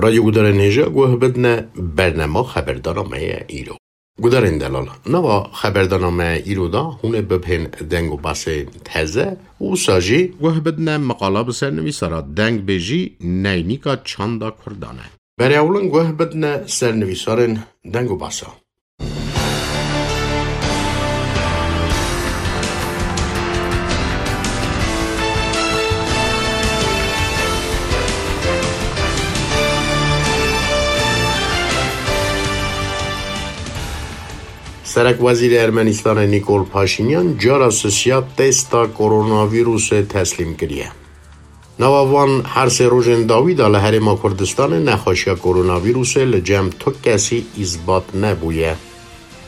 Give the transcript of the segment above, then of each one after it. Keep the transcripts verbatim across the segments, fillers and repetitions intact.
Radyo gudarên hêja guh bidine bernema xeberdana me ye îro. Gudarên delal, nava xeberdana me îro da hûn ê bibhên deng û basên teze û wisa jî guh bidine meqala bi ser nivîsara dengbêjî neynika çanda Kurdan e. Berê ewlin guh bidine ser nivîsarên deng û basa. Serekwezîrê Ermenîstanê Nîkol Paşînyan cara sisiya testa koronavîrusê teslîm kiriye. Nava van her sê rojên dawî de li Herêma Kurdistanê nexweşiya koronavîrusê li cem tu kesî îsbat nebûye.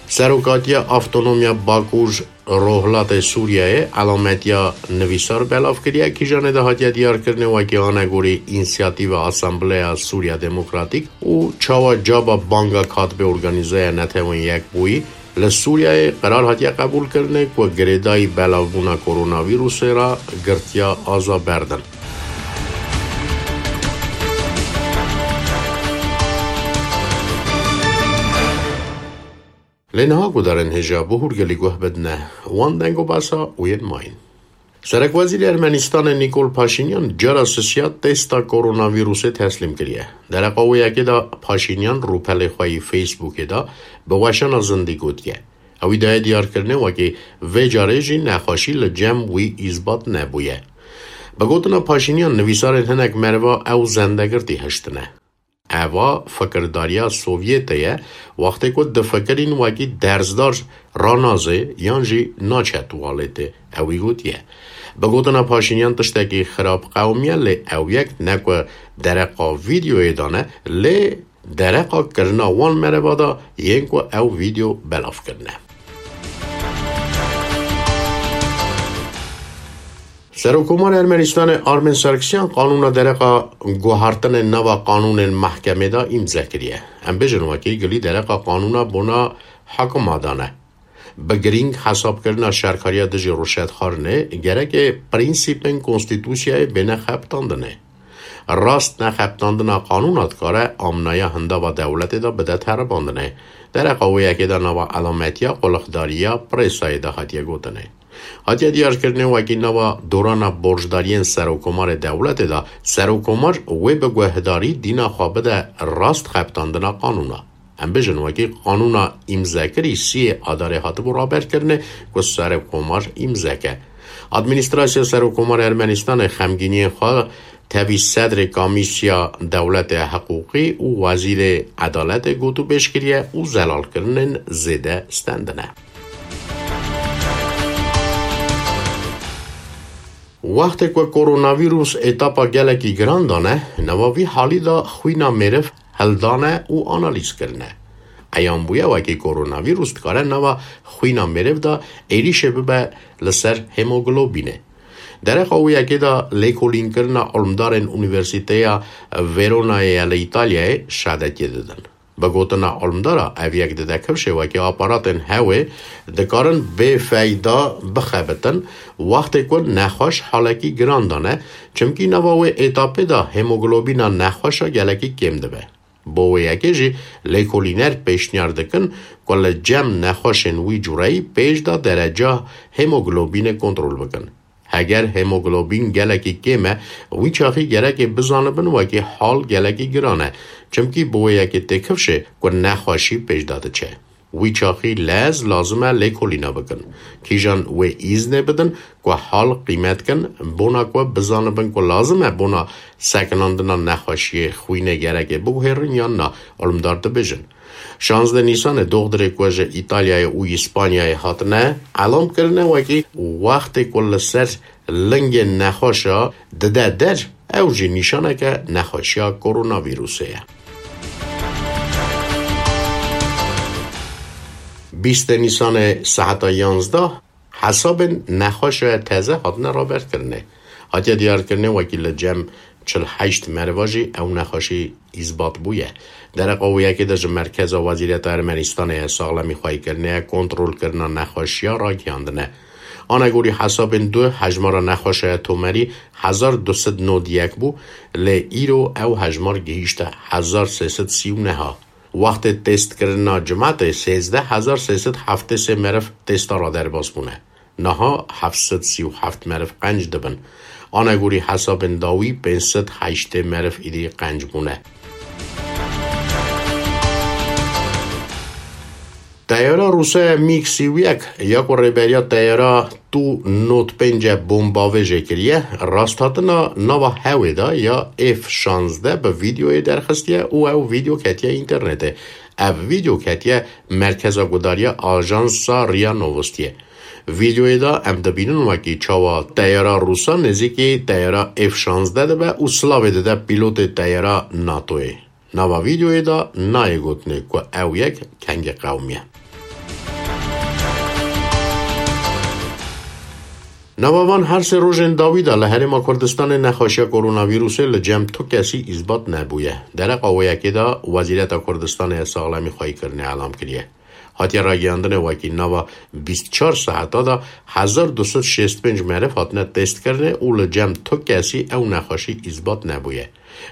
Serokatiya Avtonomiya Bakur Rojhilatê Sûriyeyê elametiya nivîsar belav kiriye, kîjanê de hatiye diyarkirinê wekî anegorî Însiyatîva Asambleya Sûriya Demokratîk û çawa caba banga katibê Organîzeya Netewên Yekbûyî li Sûriyeyê qerar hatiye qebûlkirinê ku girêdayî belavbûna koronavîrusê re girtiya aza berdin. Lê niha gudarên hêja bi hûrgilî guh bidine wan deng û basa û yên mayîn. Serekwezîrê Ermenîstanê Nîkol Paşînyan cara sisiya testa koronavîrusê teslîm kiriye. Dereqa wê yekê de Paşînyan rûpelê xwe yî Facebookê de bi weşana zindî gotiye. Ew î daye diyarkirinê wekî vê carê jî nexweşî li cem wî îsbat nebûye. Bi gotina Paşînyan, nivîsarên hinek meriva ew zendegirtî hiştine. Eva fikirdariya Sovyetê ye, wextê ku difikirîn wekî dersdar ranazê yan jî naçe tuwaletê, ewî gotiye. Bi gotina Paşînyan tiştekî xirab qewimiye, lê ew yek ne ku dereqa vîdeoyê de ne, lê dereqa kirina wan mereva de yên ku ew vîdeo belav kirine. Serokkomar Ermenistanê Armen Sarkisyan qanûna dereqa guhartinên nava qanûnên mehkemê de îmze kiriye. Em bêjin wekî gilî dereqa qanûna bona hekima dane. Bi girîng hesabkirina şerkariya dijî rûşetxwarinê, gereke prensîpên konstîtusyayê bêne xebitandinê. Rast nexebitandina qanûna dikare amnaya hindava dewletê de bide teribandinê. Dereqa wê yekê de nava elametiya qulixdariya presayê de hatiye gotinê. Hatiye diyarkirinê wekî nava dorana borcdariyên serokkomarê dewletê de serokkomar wê bi guhdarî dîna xwe bide rast xebitandina qanûna. Em bêjin wekî qanûna îmzekirî siyê Adarê hatibû raberkirinê ku serokkomar îmzeke. Administrasya Serokkomarê Ermenistanê xemgîniyên xwe tevî sedrê Komîsya Dewletê Hiqûqî û Wezîrê Edaletê gotûbêj kiriye û zelalkirinên zêde stendine. Wextê ku koronavîrus etapa gelekî giran dane, nava vî halî de xwîna mêriv hildane û analîz kirine. Eyan bûye wekî koronavîrus dikare nava xwîna mêriv de êrîşê bibe li ser hemoglobînê. Dereqa wê yekê de lêkolînkirina ilmdarên Unîversîteya Veronayê ye li Îtalyayê şadetiyê didin. Bi gotina ilmdara, ev yek dide kifşê wekî aparatên hewê dikarin bê feyda bixebitin, wextê ku nexweş halekî giran dane, çimkî nava wê etapê de hemoglobîna nexweşa gelekî kêm dibe. Bo wê yekê jî lêkolîner pêşniyar dikin ku li cem nexweşên wî cûreyî pêş de dereca hemoglobînê kontrol bikin. Heger hemoglobîn gelekî kêm e, wî çaxî gerekê bizanibin wekî hal gelekî giran e, çimkî bi wê yekê tê kifşê ku nexweşî pêş de diçe. Wî çaxî lez lazim e lêkolîna bikin. Kîjan wê îznê bidin ku hal qîmet kin, bona ku bizanibin ku lazim e bona sekinandina nexweşiyê xwînê gerekê biguhêrin yan na, ilmdar dibêjin. Şazdeh Nîsanê doxdirê ku ji Îtalyayê û Îspanyayê hatine, elam kirine wekî wextê ku li ser lingên nexweşa dide der, ew jî nîşaneke nexweşiya koronavîrusê ye. Bîstê Nîsanê saeta yanzdeh hesabên nexweşa teze hatine raberkirinê. Hatiye diyarkirinê wekî li cem çil heşt meriva jî ew nexweşî îsbat bûye. Dereqa wê yekê de ji Merkeza Wezîreta Ermenistanê ye saxlemî xweyîkirinê ye kontrolkirina nexweşiya ragihandine. Anegorî hesabên du hejmara nexweşeya tomerî hezar du sed nod yek bû, lê îro ew hejmar gihîşte hezar sê sed sî û neh a. Wextê têstkirina cimetê sêzdeh hezar sê sed heftê sê meriv têsta ra derbas bûne. Niha heft sed sî û heft meriv qenc dibin. Anegorî hesabên dawî pênc sed heştê meriv îdî qenc bûne. Teyara Rûse MiG sî û yek ya ku rêberiya teyara Tu nod pênc bombavêjê kiriye, rasthatina nava hewê de ya F şazdeh bi vîdeoyê derxistiye û ew vîdeo ketiye înternetê. Ev vîdeo ketiye merkeza gudariya ajansa RIA Novostiye. Vîdeoyê de em dibînin wekî çawa teyara Rûsa nêzîkî teyara F şazdeh dibe û silavê dide pîlotê teyara NATOyê. Nava vîdeoyê de nayê gotinê ku ew yek kengê qewimiye. Nava van her sê rojên dawî de li Herêma Kurdistanê nexweşiya koronavîrusê li cem tu kesî îsbat nebûye. Dereqa wê yekê de Wezîreta Kurdistanê ya Saxlemî Xweyîkirinê elam kiriye. Hatiye ragihandinê wekî nava bîst çar saeta de hezar du sed şêst pênc meriv hatine testkirinê û li cem tu kesî ew nexweşî îsbat nebûye.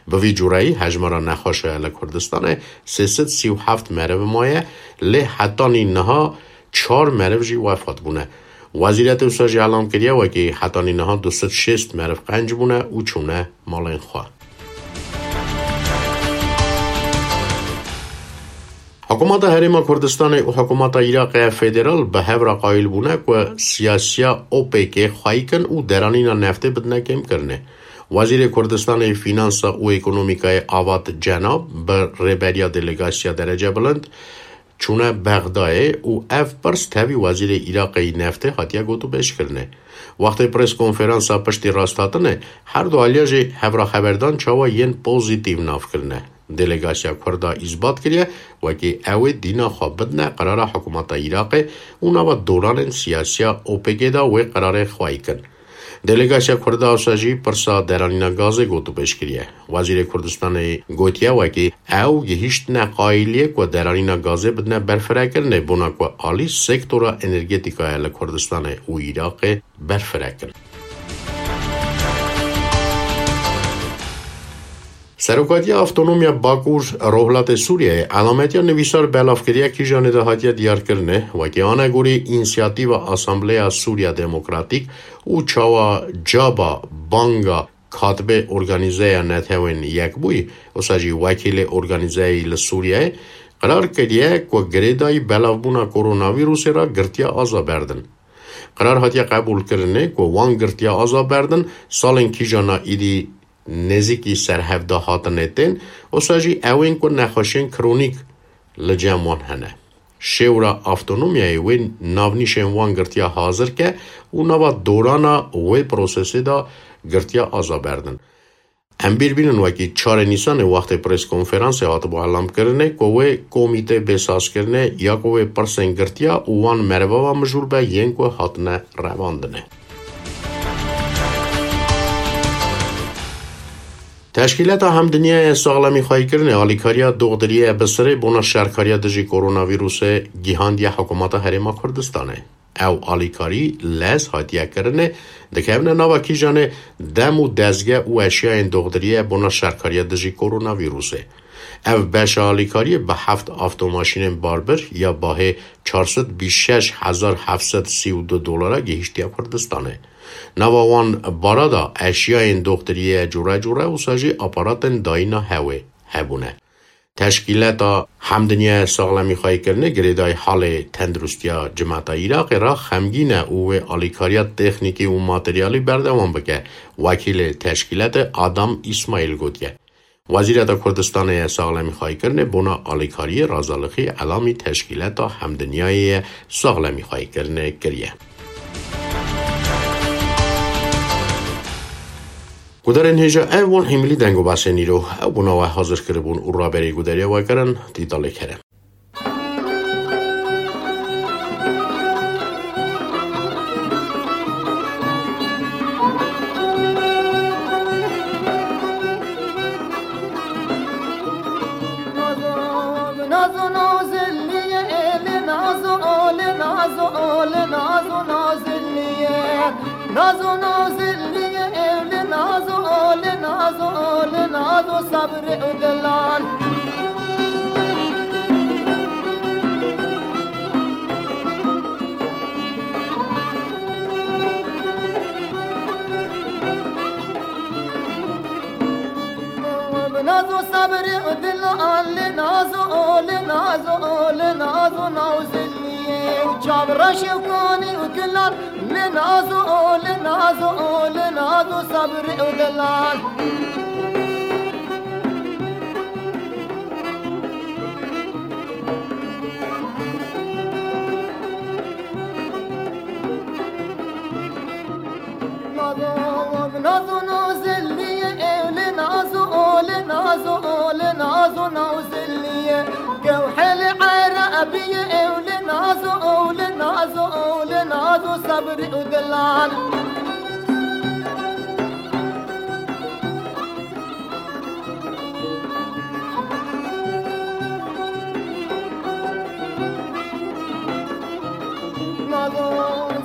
Bi vî cureyî hejmara nexweşa li Kurdistanê sê sed sî û heft meriv maye, lê hetanî niha çar meriv jî wefat bûne. Wezîretê wisa jî elam kiriye wekî hetanî niha du sed şêst meriv qenc bûne û çûne malên xwe. Hikûmeta Herêma Kurdistanê û hikûmeta Iraqê federal bi hev re qayîl bûne ku siyasiya OPECê xweyî kin û deranîna neftê bidine kêmkirinê. Wezîrê Kurdistanê Fînansa û Ekonomîkayê Avat Cenab bi rêberiya delegasiya derece bilind çûne Bexdayê û ev pirs tevî Wezîrê Iraqê yî neftê hatiye gotûbêjkirinê. Wextê prêskonferansa piştî rasthatinê, her du aliya jî hevraxeberdan çawa yên pozîtîf nav kirine. Delegasiya Kurda îsbat kiriye, wekî ew ê dîna xwe bidine qerara hikûmeta Iraqê û nava doranên siyasiya OPECê de wê qerarê xweyî kin. Delegasiya Kurda wisa jî pirsa deranîna gazê gotûbêj kiriye. Wezîrê Kurdistanê gotiye, wekî ew gihîştine qayîliyê ku deranîna gazê bidine berfirekirinê, bona ku alî sektora energetîkayê li Kurdistanê û Iraqê berfirek in. Serokatiya Avtonomiya Bakur Rojhilatê Sûriyeyê elametiya nivîsar belavkiriya kîjanê de hatiye diyarkirinê, wekî anegorî Însiyatîva Asambleya Sûriya Demokratîk û çawa caba banga katibê organîzeya Netewên Yekbûyî, wisa jî wekîlê organîzeyê li Sûriyeyê, qerar kiriye ku girêdayî belavbûna koronavîrusê re girtiya aza berdin. Qerar hatiye qebûlkirinê ku wan girtiya aza berdin, salên kîjana îdî nêzîkî serhevda hatinê tên, wisa jî ewên ku nexweşiyên kronîk li cem wan hene. Şêwra avtonomyayê wê navnîşên wan girtiya hazir ke û nava dorana wê prosesê de girtiya aza berdin. Em bîr bînin wekî çarê Nîsanê wextê prêskonferansê hatibû elamkirinê ku wê komîtê bê sazkirinê ya ku wê pirsên girtiya û wan merivava mijûl be yên ku hatine revandinê. Teşkîlata Hemdinyaya Saxlemî Xweyîkirinê alîkariya doxdiriyê Bisirê bona şerkariya dijî koronavîrusê gihandiye Hikûmeta Herêma Kurdistanê. Ew alîkarî lez hatiye kirinê, dikevine nava kîjanê dem û dezge û eşyayên doxdiriyê bona şerkariya dijî koronavîrusê. Ev beşa alîkariyê bi heft avtomaşînên barbir ya bahê çar sed bîst şeş hezar heft sed sî û du dolara gihîştiye Kurdistanê. Nava wan bara de eşyayên doxtiriyê cure cure wisa jî aparatên dayîna hewê hebûne. Teşkîleta Hemdinyaya Saxlemî Xweyîkirinê girêdayî halê tenduristiya cimeta Iraqê re xemgîn e û wê alîkariya teknîkî û materyalî berdewam bike, wekîlê teşkîletê Adam Îsmaîl gotiye. Wezîreta Kurdistanê ya Saxlemî Xweyîkirinê bona alîkariyê razalixî elamî Teşkîleta Hemdinyayê ya Saxlemî Xweyîkirinê kiriye. Gudarên hêja ev bûn hîmilî deng û basên îro. Ew bûna we hazir kiribûn û raberî gudariya we kirin Tîtalê Kerem. Nazo nazilliye ew li nazo, li nazo, li nazo sabrê û dilan. Nazo sabrê û dilan, li nazo, li nazo, li nazo nazilliye û çavreşê û kanî û gilan. Li nazo, li nazo, li nazo sabrê û dilan. Nazo, nazo nazilliye ew li nazo, li nazo, li nazo nazilliye. Gewhelê Erebiye ew li nazo, li nazo, li nazo sabrê û dilan. Nazo,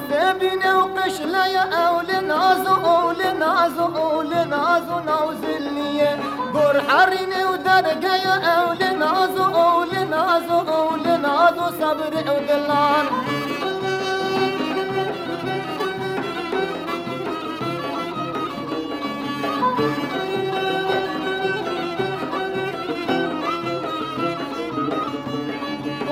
zebîne û qişleye ew li nazo, ew li nazo, ew li nazo nazilliye. Gor herîne û dergeye ew li nazo, ew li nazo, ew li nazo sabrê û dilan.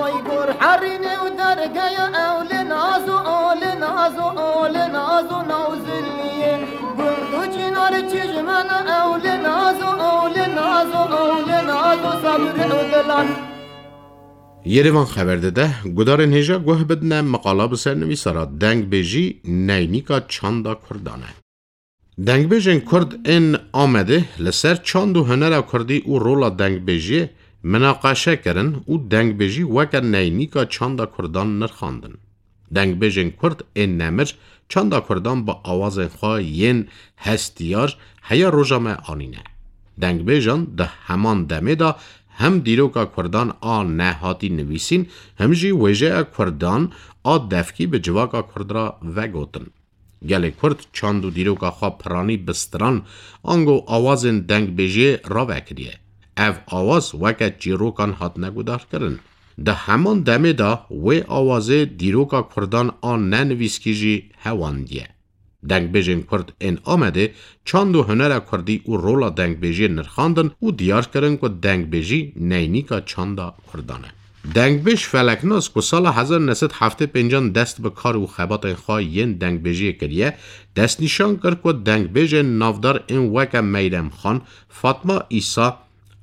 Oy gor herîne û dergeye ew li nazo, o li nazo, o li nazo nazilliye. Gund û çînar çijmene ew li nazo, o li nazo, o li nazo sabrê û dilan. Yerevan xeber dide, gudarên hêja guh bidine, meqala bi ser nivîsara Dengbêjî, neynîka çanda Kurdan e. Dengbêjên Kurd ên Amedê li ser çand û hunera Kurdî û rola dengbêjiyê minaqeşe kirin û dengbêjî weke neynîka çanda Kurdan nirxandin. Dengbêjên Kurd ên nemir çanda Kurdan bi awazên xwe yên hestiyar heya roja me anîne. Dengbêjan di heman demê de hem dîroka Kurdan a nehatî nivîsîn, hem jî wêjeya Kurdan a devkî bi civaka Kurd re vegotin. Gelê Kurd çand û dîroka xwe piranî bi stiran, ango awazên dengbêjiyê rave kiriye. Ev awaz weke çîrokan hatine gudarkirin. Di heman demê de wê awazê dîroka Kurdan a nenivîskî jî hewandiye. Dengbêjên Kurd ên Amedê çand û hunera Kurdî û rola dengbêjiyê nirxandin û diyar kirin ku dengbêjî neynîka çanda Kurdan e. Dengbêj Feleknas ku sala hezar neh sed heftê pêncan dest bi kar û xebatên xwe yên dengbêjiyê kiriye, destnîşan kir ku dengbêjên navdar ên weke Meyrem Xan, Fatma Îsa,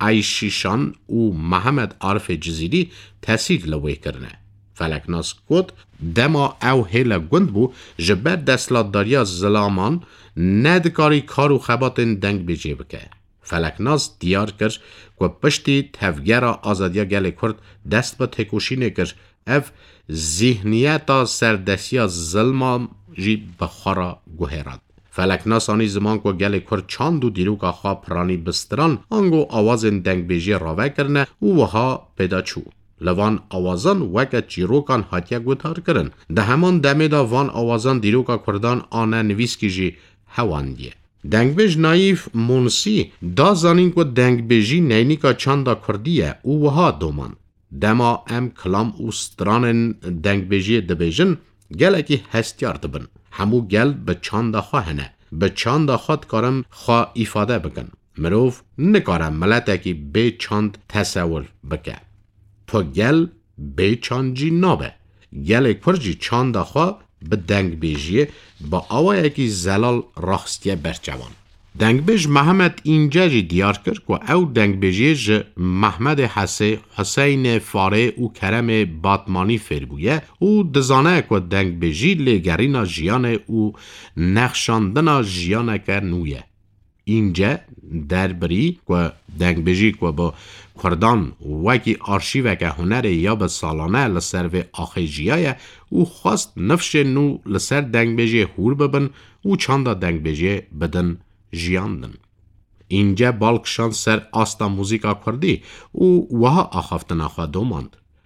Eyşîşan û Mihemed Arifê Cizîrî tesîr li wê kirine. Feleknas got, dema ew hêle gund bû, ji ber desthilatdariya zilaman nedikarî kar û xebatên dengbêjiyê bike. Feleknas diyar kir ku piştî Tevgera Azadiya Gelê Kurd dest bi têkoşînê kir, ev zîhniyeta serdestiya zilma jî bi xwe re guherand. Feleknas anî ziman ku gelê Kurd çand û dîroka xwe piranî bi stiran, ango awazên dengbêjiyê rave kirine û wiha pêda çû. Li van awazan weke çîrokan hatiye guhdar kirin. Di heman demê de van awazan dîroka Kurdan a ne nivîskî jî hewandiye. Dengbêj Nayîf Monsî da zanîn ku dengbêjî neynîka çanda Kurdî ye û wiha domand, dema em kilam û stranên dengbêjiyê dibêjin, gelekî hestiyar dibin. Hemû gel bi çanda xwe hene. Bi çanda xwe dikarin xwe îfade bikin. Mirov nikare miletekî bê çand tesewir bike. Tu gel bê çand jî nabe. Gelê Kurd jî çanda xwe bi dengbêjiyê bi awayekî zelal raxistiye ber çavan. Dengbêj Mihemed Înce jî diyar kir ku ew dengbêjiyê ji Mehmedê Hesê, Huseynê Farê û Keremê Batmanî fêr bûye û dizane ku dengbêjî lêgerîna jiyanê û nexşandina jiyaneke nû ye. Înce derbirî ku dengbêjî ku bi Kurdan wekî arşîveke hunerê ya bi salane li ser vê axê jiyaye û xwest nifşên nû li ser dengbêjiyê hûr bibin û çanda dengbêjiyê bidin jiyandin. Înce bal kişand ser asta muzîka kurdî û wiha axaftina xwe domand.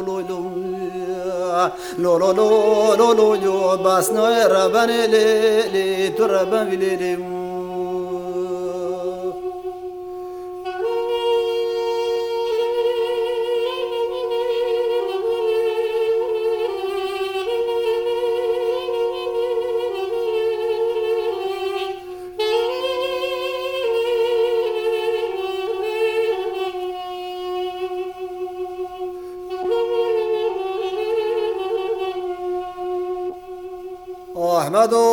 Lo lo lo lo lo lo lo lo lo, bas nayê rebenê lê lê, tu reben vî lê lê. Ahmedo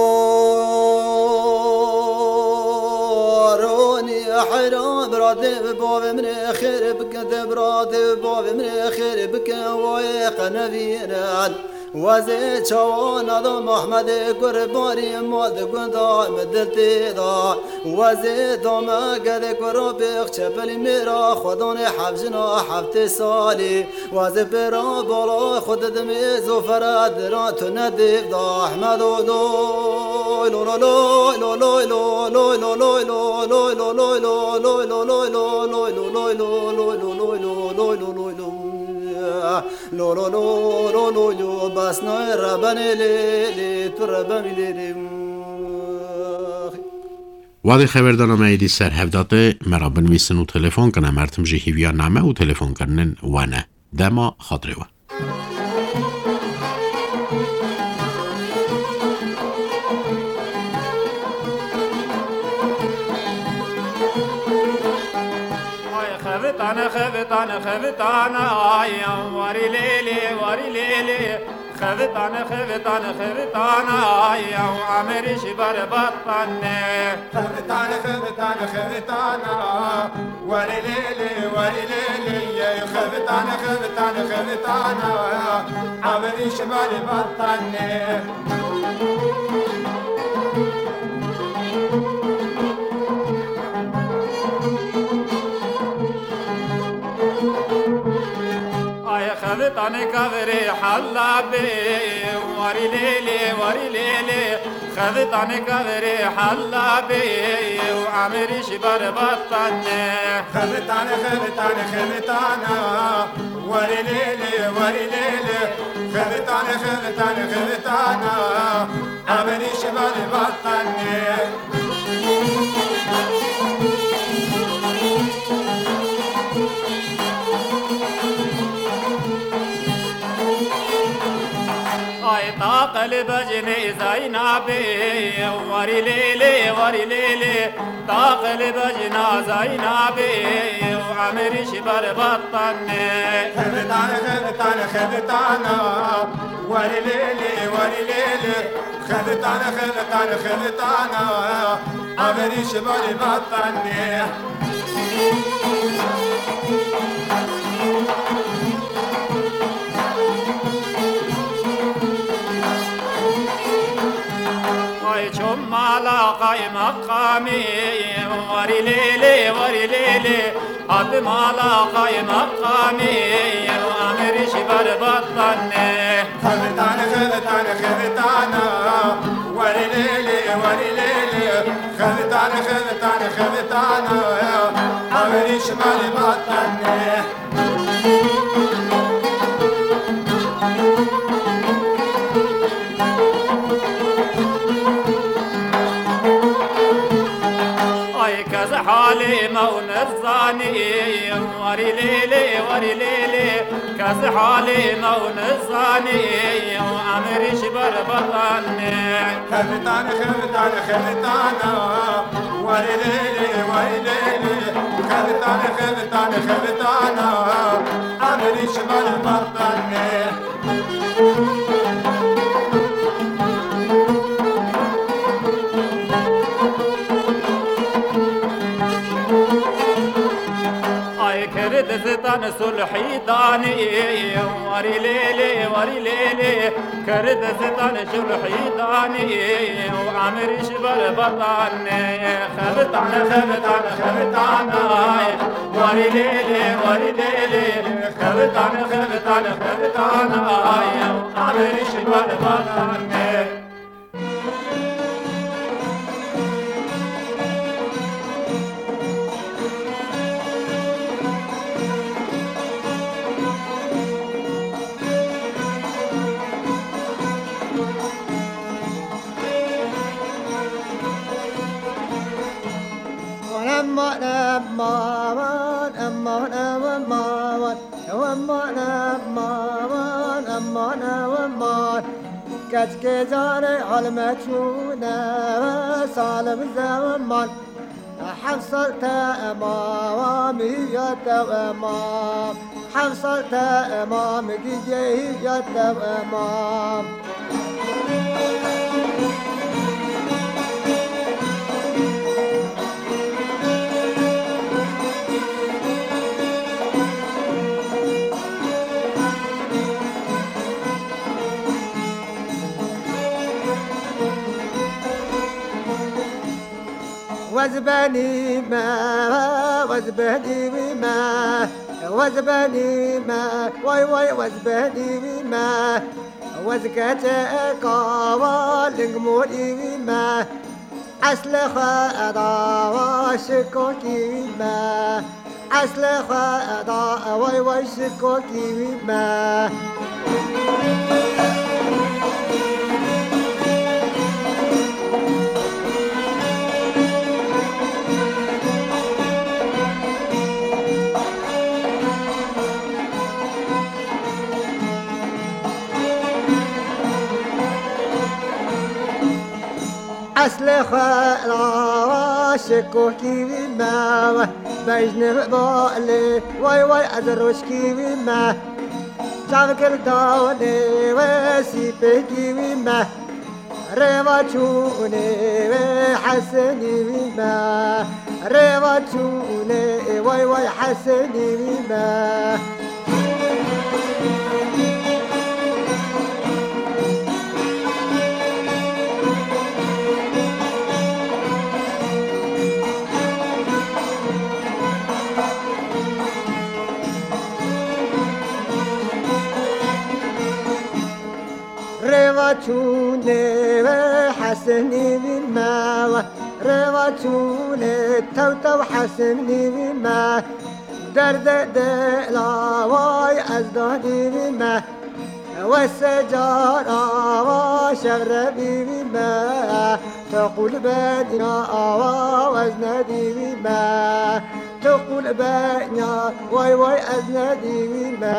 Ronî heyran, biratê bi bavê min ê xêr bike, de biratê bi bavê min ê xêr bike, wayê qenevînin. Wezê çawana da Mehmedê kurbanî, ma di gunda min dil tê da. Wezê dame gedê kura bêx çepelî mêra, xwedanê hevjina heftê salî. Wazê pêra bala xwe didimê zofere dira tu ne dêv da Ehmedo loy lo lo loy lo loy lo loy lo loy lo loy lo loy lo loy lo loy lo loy lo loy lo loy lo loy lo loy lo loy lo loy lo loy lo loy lo bas nayê rebenê lê lê tu reben vî lê lê. Wadê xeverdana me êdî ser hev date, me ra binivîsin û telefon kine, mertim jî hîviya name û telefonkirinin we ne. Dema xatirê we. Ay xevitane, xevitane, xevitane, ay, warî lê lê, warî lê lê. Xevitane, xevitane, xevitane, ay, ew emerî ji ber batane. Xevitane, xevitane, xevitane, warî lê lê, warî lê lê, yey. Xevitane, xevitane, xevitane, emerî ji ber batane. Ay xevitane kaverê hela bê. Warî lê lê, warî lê lê, xevitanê kaverê hela bê û emirî jî berbat tane. Xevitane, xevitane, xevitana, warî lê lê, warî lê lê, xevitane, xevitane, xevitana, emirî jî berbat tane. Ay taqil bejnê Zeynabê, warî lê lê, warî lê lê, taqil bejna Zeynabê, û emirî jî berbat tane. Xevitan, xevitan, xevitana, warî lê lê, warî lê lê, xevitan, xevitan, xevitana, emirî jî berbat tane. Ay çom mala qaymeqamî, warî lê lê, warî lê lê, hat mala qaymeqamî, emirî jî berbat tane. Xevitan, xevitan, xevitana, warî lê lê, warî lê lê, xevitan, xevitan, xevitana, emirî jî berbat tane. Ay kes halê me û nizanî, warî lê lê, warî lê lê, kes halê me û nizanî, emirî jî berbat tane. Xevitan, xevitan, xevitana, warî lê lê, warî lê lê, xevitan, xevitan, xevitana, emirî jî berbat tane. Ay kir dizdan sulhî danî, warî lê lê, warî lê lê, kir dizdan sulhî danî, û emirî jî berbat tane. Xevitan, xevitan, xevitan, ay, warî lê lê, warî lê lê, xevitan, xevitan, xevitan, ay, emirî jî berbat tane. Aman, aman, aman, aman, aman, aman, aman, aman, aman, aman. Keçkê carê halme çûne ve salim zeman. Heft sal temam, hiya temam. Heft sal temam, gîgê hiya temam. Wez benî me, wez benî wî me, wez benî me, way way wez benî wî me. Wez keçeka wa ling morî wî me. Eslê xwe da wa şikokî wî me. Eslê xwe da way way şikokî wî me. Eslê xwe rawa şikokî wî me, bejnê balê way way ez roşkî wî me. Çavkir dawlê we sîpêkî wî me. Rêva çûnê wê Hesenî wî me. Rêva çûnê way way Hesenî wî me. Rêva çûnê wê Hesenî wî me, we rêva çûnê tew tew Hesenî wî me. Derde dela way ez danî wî me, we secara wa şevre bî wî me. Tu qul benya wa ez nedî wî me, tu qul benya way way ez nedî wî me.